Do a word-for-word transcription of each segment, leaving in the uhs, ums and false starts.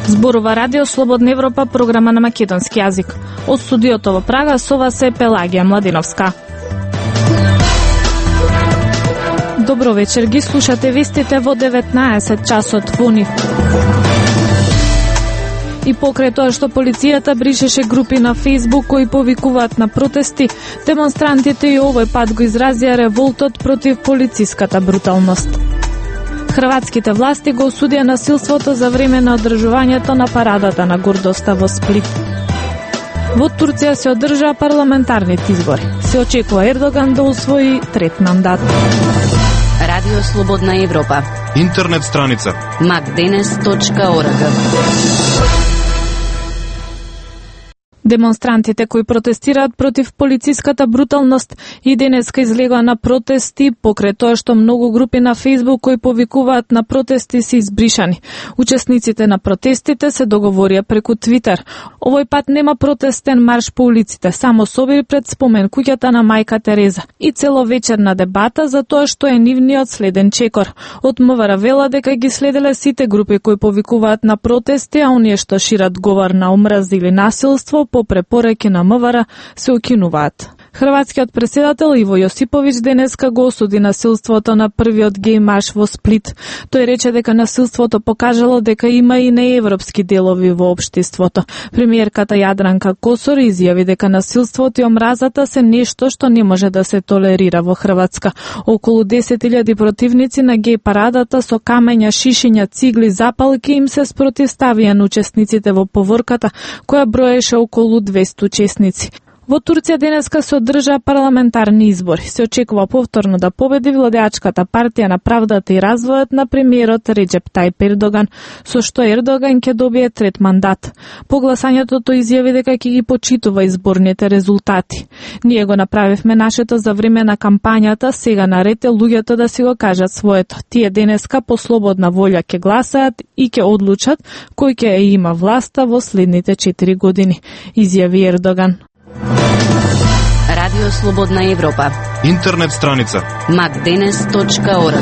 Зборува Радио Слободна Европа, програма на македонски јазик. Од студиото во Прага со вас е Пелагија Младиновска. Добро вечер, ги слушате вестите во деветнаесет часот во НИФ. И покрај тоа што полицијата бришеше групи на Facebook кои повикуваат на протести, демонстрантите и овој пат го изразија револтот против полициската бруталност. Хрватските власти го осудија насилството за време на одржувањето на парадата на гордоста во Сплит. Во Турција се одржаа парламентарните избори. Се очекува Ердоган да усвои трет мандат. Радио Слободна Европа. Интернет страница макденес точка орг. Демонстрантите кои протестираат против полициската бруталност и денеска излегоа на протести покрај тоа што многу групи на Facebook кои повикуваат на протести се избришани. Учесниците на протестите се договорија преку Твитер. Овој пат нема протестен марш по улиците, само собир пред спомен куќата на мајка Тереза и целовечерна дебата за тоа што е нивниот следен чекор. Од МВР вела дека ги следеле сите групи кои повикуваат на протести, а оние што шират говор на омраза или насилство по препораки на МВР се укинуваат. Хрватскиот претседател Иво Јосиповиќ денеска го осуди насилството на првиот геј марш во Сплит. Тој рече дека насилството покажало дека има и неевропски делови во општеството. Премиерката Јадранка Косор изјави дека насилството и омразата се нешто што не може да се толерира во Хрватска. Околу десет илјади противници на геј парадата со камења, шишиња, цигли, запалки им се спротивставија на учесниците во поворката, која броеше околу двесте учесници. Во Турција денеска се одржаа парламентарни избори. Се очекува повторно да победи владеачката партија на правдата и развојот на премиерот Реджеп Тајип Ердоган, со што Ердоган ќе добие трет мандат. По гласањето тој изјави дека ќе ги почитува изборните резултати. Ние го направивме нашето за време на кампањата, сега наред е луѓето да си го кажат своето. Тие денеска по слободна волја ќе гласаат и ќе одлучат кој ќе има власта во следните четири години, изјави Ердоган. Радио Слободна Европа. Интернет страница макденес точка орг.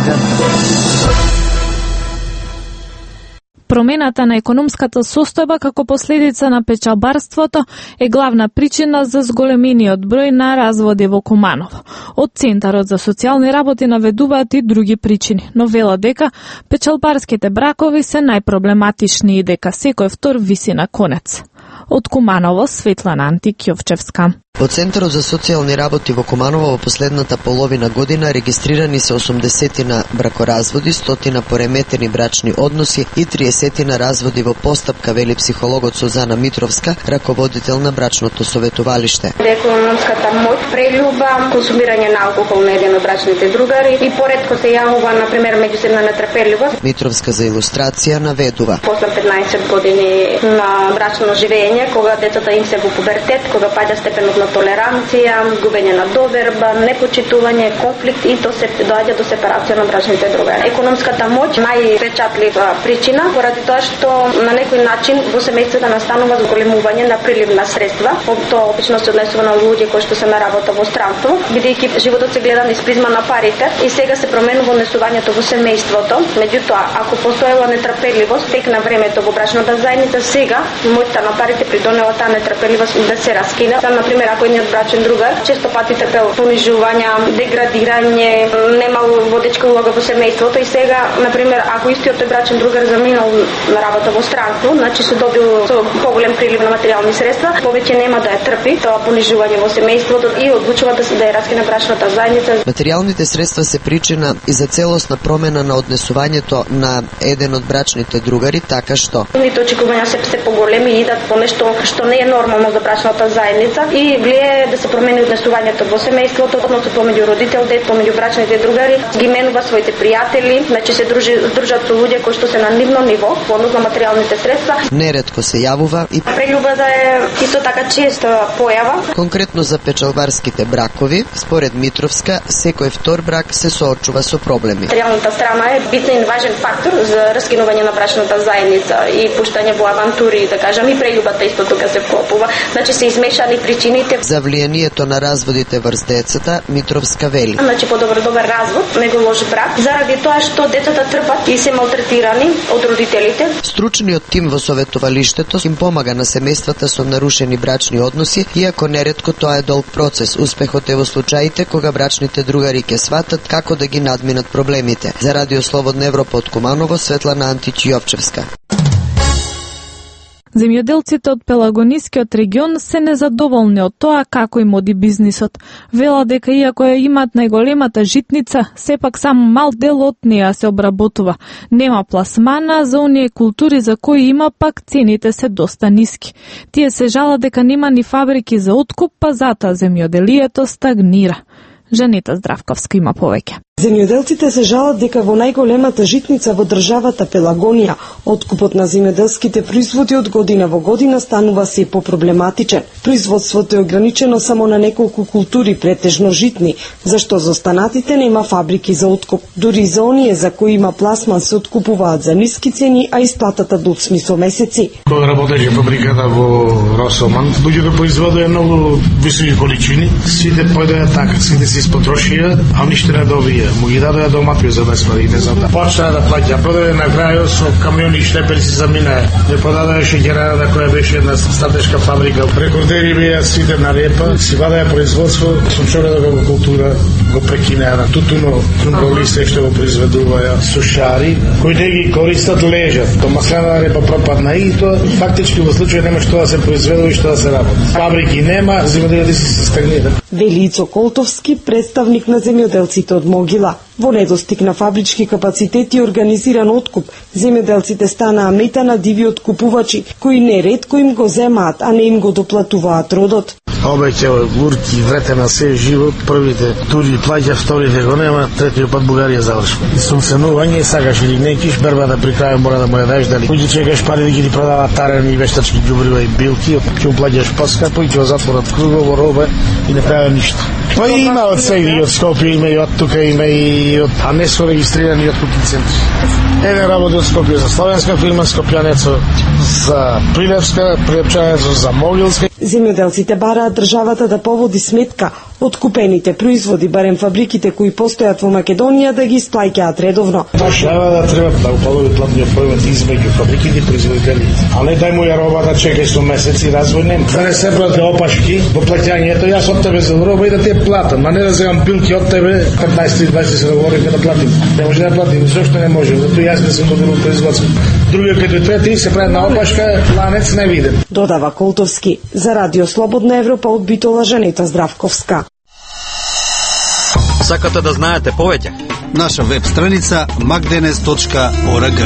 Промената на економската состојба како последица на печалбарството е главна причина за зголемениот број на разводи во Куманово. Од Центарот за социјални работи наведуваат и други причини, но вела дека печалбарските бракови се најпроблематични и дека секој втор виси на конец. Од Куманово, Светлана Антикјовчевска. Во Центарот за социјални работи во Куманово во последната половина година регистрирани се осумдесетина бракоразводи, стотина пореметени брачни односи и триесетина разводи во постапка, вели психологот Сузана Митровска, раководител на брачното советувалиште. Економската моќ, прелюба, консумирање на алкохол на еден од брачните другари и поретко се јавува, например, меѓусебна нетрпеливост. Митровска за илустрација наведува. После петнаесет години на брачно живење, кога децата им се во пубертет, кога паѓа степенот на толеранција, губење на доверба, непочитување, конфликт и то се доаѓа до сепарација на брачните другари. Економската моќ најпечатлива причина, поради тоа што на некој начин во семејството настанува зголемување на прилив на средства. Тоа обично се однесува на луѓе кои што се на работа во странство, бидејќи животот се гледа низ призма на парите и сега се променува однесувањето во семејството. Меѓутоа, ако постоела нетрпеливост тек на времето во брачната заедница, сега моќта на парите придонела таа нетрпеливост да се раскина. Например, ако едниот брачен другар често пати трпел понижувања, деградирање, немал водечка улога во семејството и сега, например, ако истиот тој брачен другар заминал на работа во странство, значи се добил со поголем прилив на материјални средства, повеќе нема да ја трпи тоа понижување во семејството и одлучува да се да ја раскине брачната заедница. Материјалните средства се причина и за целосна промена на однесувањето на еден од брачните другари, така што нивните очекувања се се поголеми и идат по нешто што не е нормално за брачната заедница и влијае да се промени однесувањето во семејството, односно помеѓу родител, дет, помеѓу брачните другари, ги менува своите пријатели, значи се дружи, дружат со луѓе кои што се на нивно ниво, во однос на материјалните средства. Неретко се јавува и прелюбата е исто така честа појава. Конкретно за печалбарските бракови, според Митровска, секој втор брак се соочува со проблеми. Материјалната страна е битен и важен фактор за раскинување на брачната заедница и пуштање во авантури, да кажам, и прелюбата исто тука се вклопува. Значи се измешани причините родителите. За влијанието на разводите врз децата, Митровска вели. Значи подобар добар развод, него лош брак, заради тоа што децата трпат и се малтретирани од родителите. Стручниот тим во советувалиштето им помага на семејствата со нарушени брачни односи, иако неретко тоа е долг процес. Успехот е во случаите кога брачните другари ќе сватат како да ги надминат проблемите. За Радио Слободна Европа од Куманово, Светлана Антич Јовчевска. Земјоделците од Пелагонискиот регион се незадоволни од тоа како им оди бизнисот. Вела дека иако ја имаат најголемата житница, сепак само мал дел од неа се обработува. Нема пласмана за оние култури за кои има, пак цените се доста ниски. Тие се жала дека нема ни фабрики за откуп, па затоа земјоделието стагнира. Жанета Здравковска има повеќе. Земјоделците се жалат дека во најголемата житница во државата Пелагонија, откупот на земјоделските производи од година во година станува се попроблематичен. Производството е ограничено само на неколку култури, претежно житни, зашто за останатите нема фабрики за откуп. Дури за оние за кои има пласман се откупуваат за ниски цени, а исплатата доцми со месеци. Кога работеше фабриката во Росоман, луѓето производеа многу високи количини, сите појдоа така, сите се испотрошија, а ништо не добија. Му ги дадоа домати за бесплатно, не знам да. Почна да плаќа, продаде на крајот со камиони и шлепери си заминаа. Не продадоа шеќерарата која беше една стратешка фабрика. Рекордери беа сите на репа, си вадеа производство, сончоредога во култура го прекинаа на тутуно, крумболисте што го произведуваја, сушари, кои не ги користат лежат. То маслена репа пропадна и тоа фактички во случај нема што да се произведува и што да се работи. Фабрики нема, земјоделците се стагнира. Велицо Колтовски, представник на земјоделците од Могила. Во недостиг на фабрички капацитети и организиран откуп, земјоделците станаа мета на диви откупувачи, кои неретко им го земаат, а не им го доплатуваат родот. Обеќе гурки, вретена се живот, првите тури плаќа, вторите го нема, третиот пат Бугарија завршва. Сумсенување, сакаш или некиш, бербата при крај мора да му ја даеш дали. Кој чекаш пари да ги продаваат тарени, вештачки џубрива и билки, ќе му плаќаш поскапо и ќе го затворат кругово робе и не прават ништо. Па има од сега и од Скопје, има и од тука, има и од, а не со регистрирани откупни центри. Еден работи од Скопје за словенска фирма, Скопјанецо за Прилепска, Прилепчанецо за Могилска. Земјоделците бараат државата да поводи сметка од купените производи, барем фабриките кои постојат во Македонија да ги исплаќаат редовно. Држава да треба да уполови платниот проmet измеѓу фабриките и производителите. А не дај му ја роба да чекај со месеци и развој нема. Да не се прават опашки во плаќањето, јас од тебе за роба и да те платам, а не да земам пилки од тебе петнаесет дваесет се договориме да платим. Не може да платим, зашто не може? Затоа јас не сум добро производство. Другиот како трети се прави на опашка, ланец не виден. Додава Колтовски. За Радио Слободна Европа од Битола, Жанета Здравковска. Сакате да знаете повеќе? Наша веб страница макденес точка орг.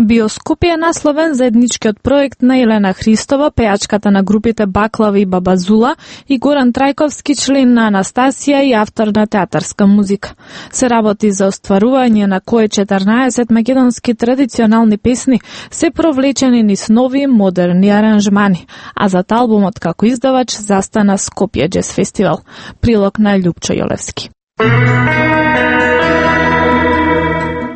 Биоскоп е насловен заедничкиот проект на Елена Христова, пејачката на групите Баклави и Баба Зула, и Горан Трајковски, член на Анастасија и автор на театарска музика. Се работи за остварување на кое четрнаесет македонски традиционални песни се провлечени низ нови модерни аранжмани, а за албумот како издавач застана Скопје Джез Фестивал. Прилог на Љупчо Јолевски.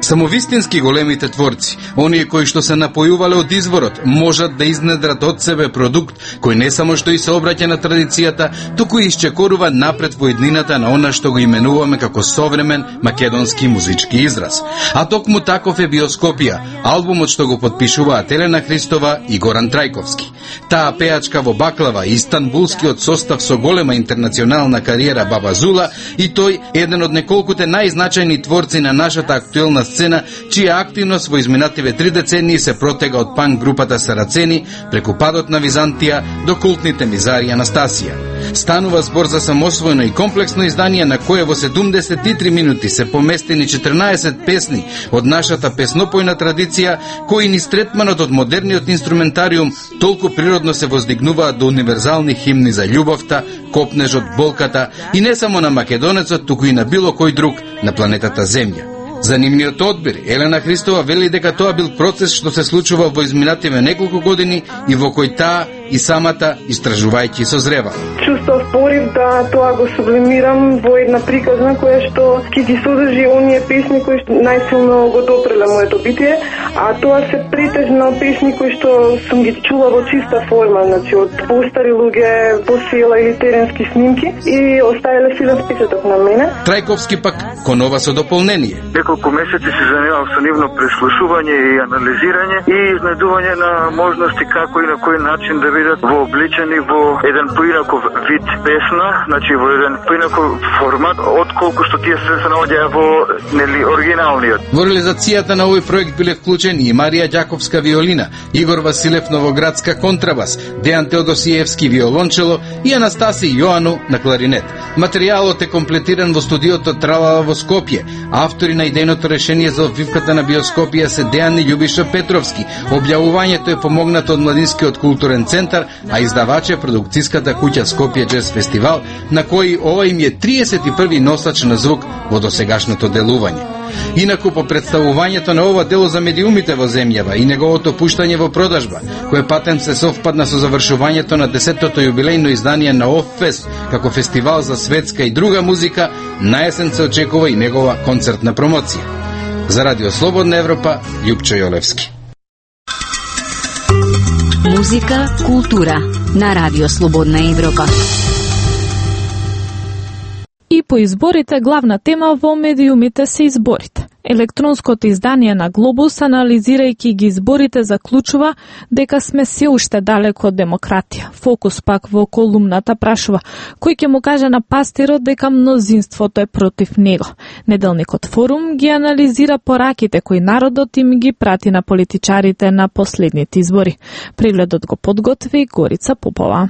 Само вистински големите творци, оние кои што се напојувале од изворот, можат да изнедрат од себе продукт кој не само што и се обраќа на традицијата, туку и исчекорува напред во еднината на она што го именуваме како современ македонски музички израз. А токму таков е Биоскопија, албумот што го потпишуваат Елена Христова и Горан Трајковски. Таа пејачка во Баклава и истанбулскиот состав со голема интернационална кариера Баба Зула и тој еден од неколкуте најзначајни творци на нашата актуелна сцена, чија активност во изминативе три децении се протега од панк групата Сарацени преку падот на Византија до култните Мизари и Анастасија. Станува збор за самосвоено и комплексно издание на кое во седумдесет и три минути се поместени четрнаесет песни од нашата песнопојна традиција, кои низ третманот од модерниот инструментариум толку природно се воздигнуваат до универзални химни за љубовта, копнежот, болката и не само на македонецот, туку и на било кој друг на планетата Земја. За нивниот одбир, Елена Христова вели дека тоа бил процес што се случува во изминативе неколку години и во кој таа и самата истражувајќи созрева. Чувствов порив да тоа го сублимирам во една приказна која што ќе ги содржи оние песни кои што најсилно го допреле моето битие, а тоа се претежно песни кои што сум ги чула во чиста форма, значи од постари луѓе, по села или теренски снимки и оставиле силен впечаток на мене. Трајковски пак конова со дополнение. Неколку месеци се занимавам со нивно преслушување и анализирање и изнедување на можности како и на кој начин да бидат вообличени во еден поинаков вид песна, значи во еден поинаков формат отколку што тие се се наоѓаат во нели оригиналниот. Во реализацијата на овој проект биле вклучени и Марија Ѓаковска виолина, Игор Василев Новоградска контрабас, Дејан Теодосиевски виолончело и Анастаси Јоану на кларинет. Материјалот е комплетиран во студиото Тралала во Скопје. Автори на идејното решение за обвивката на биоскопија се Дејан и Љубиша Петровски. Објавувањето е помогнато од Младинскиот културен центар, а издавач е продукцијската куќа Скопје Джез Фестивал, на кој ова им е триесет и први носач на звук во досегашното делување. Инаку по представувањето на ова дело за медиумите во земјава и неговото пуштање во продажба, кој патем се совпадна со завршувањето на десетото јубилејно издание на Оффест како фестивал за светска и друга музика, на есен се очекува и негова концертна промоција. За Радио Слободна Европа, Љупчо Јолевски. Музика, култура на Радио Слободна Европа. И по изборите главна тема во медиумите се изборите. Електронското издание на Глобус, анализирајќи ги изборите, заклучува дека сме се уште далеко од демократија. Фокус пак во колумната прашува кој ќе му каже на пастирот дека мнозинството е против него. Неделникот Форум ги анализира пораките кои народот им ги прати на политичарите на последните избори. Прегледот го подготви Горица Попова.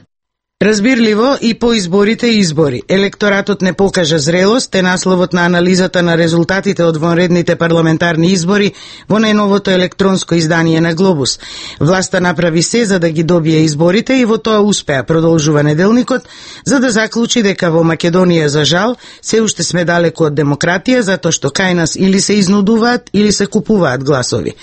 Разбирливо и по изборите и избори. Електоратот не покажа зрелост е насловот на анализата на резултатите од вонредните парламентарни избори во најновото електронско издание на Глобус. Власта направи се за да ги добие изборите и во тоа успеа, продолжува неделникот, за да заклучи дека во Македонија за жал се уште сме далеко од демократија, затоа што кај нас или се изнудуваат или се купуваат гласови.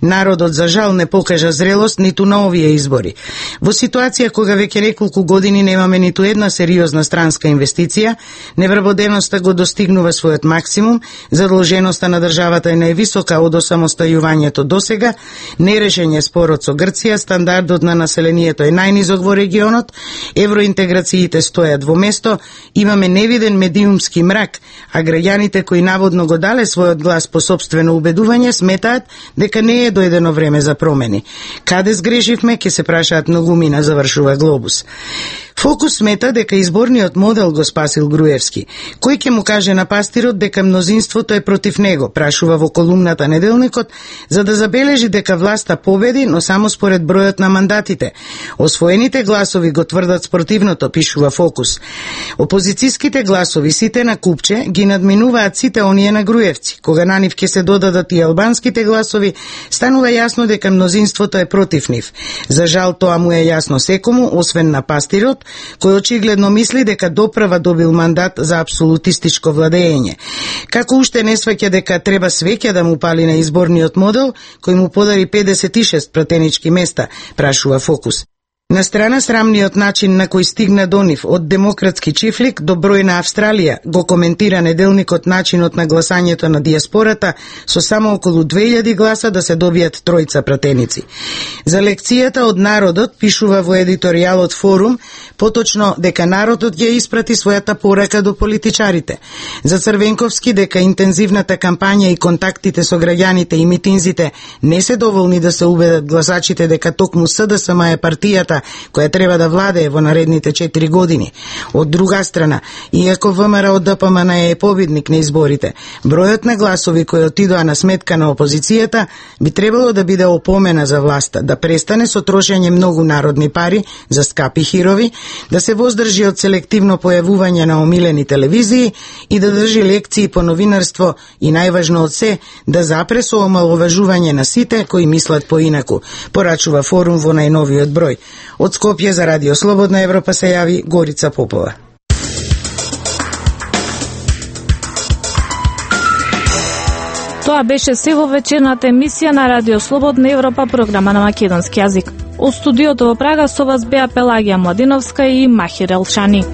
Народот за жал не покажа зрелост ниту на овие избори. Во ситуација кога веќе неколку години години немаме ниту една сериозна странска инвестиција, невработеноста го достигнува својот максимум, задолженоста на државата е највисока од осамостајувањето досега, нерешен е спорот со Грција, стандардот на населението е најнизок во регионот, евроинтеграциите стојат во место, имаме невиден медиумски мрак, а граѓаните кои наводно го дале својот глас по сопствено убедување сметаат дека не е дојдено време за промени. Каде сгрешивме, ќе се прашаат многумина, завршува Глобус. Фокус смета дека изборниот модел го спасил Груевски. Кој ќе му каже на пастирот дека мнозинството е против него, прашува во колумната Неделникот, за да забележи дека власта победи, но само според бројот на мандатите. Освоените гласови го тврдат спротивното, пишува Фокус. Опозицијските гласови, сите на купче, ги надминуваат сите оние на Груевци. Кога на нив ќе се додадат и албанските гласови, станува јасно дека мнозинството е против нив. За жал тоа му е јасно секому, освен на пастирот, кој очигледно мисли дека доправа добил мандат за апсолутистичко владење. Како уште не сваќа дека треба свеќа да му пали на изборниот модел, кој му подари педесет и шест пратенички места, прашува Фокус. На страна срамниот начин на кој стигна до нив од демократски чифлик до број на Австралија, го коментира Неделникот начинот на гласањето на диаспората со само околу две илјади гласа да се добијат тројца пратеници. За лекцијата од народот пишува во едиторијалот Форум, поточно дека народот ја испрати својата порака до политичарите. За Црвенковски дека интензивната кампања и контактите со граѓаните и митинзите не се доволни да се убедат гласачите дека токму СДСМ е партијата која треба да владее во наредните четири години. Од друга страна, иако ВМРО ДПМН е победник на изборите, бројот на гласови кои отидоа на сметка на опозицијата би требало да биде опомена за власта, да престане со трошење многу народни пари за скапи хирови, да се воздржи од селективно појавување на омилени телевизии и да држи лекции по новинарство и најважно од се, да запре со омаловажување на сите кои мислат поинаку, порачува Форум во најновиот број. Од Скопје за Радио Слободна Европа се јави Горица Попова. Тоа беше се во вечерната емисија на Радио Слободна Европа, програма на македонски јазик. Од студиото во Прага со вас беа Пелагија Младиновска и Махир Елшани.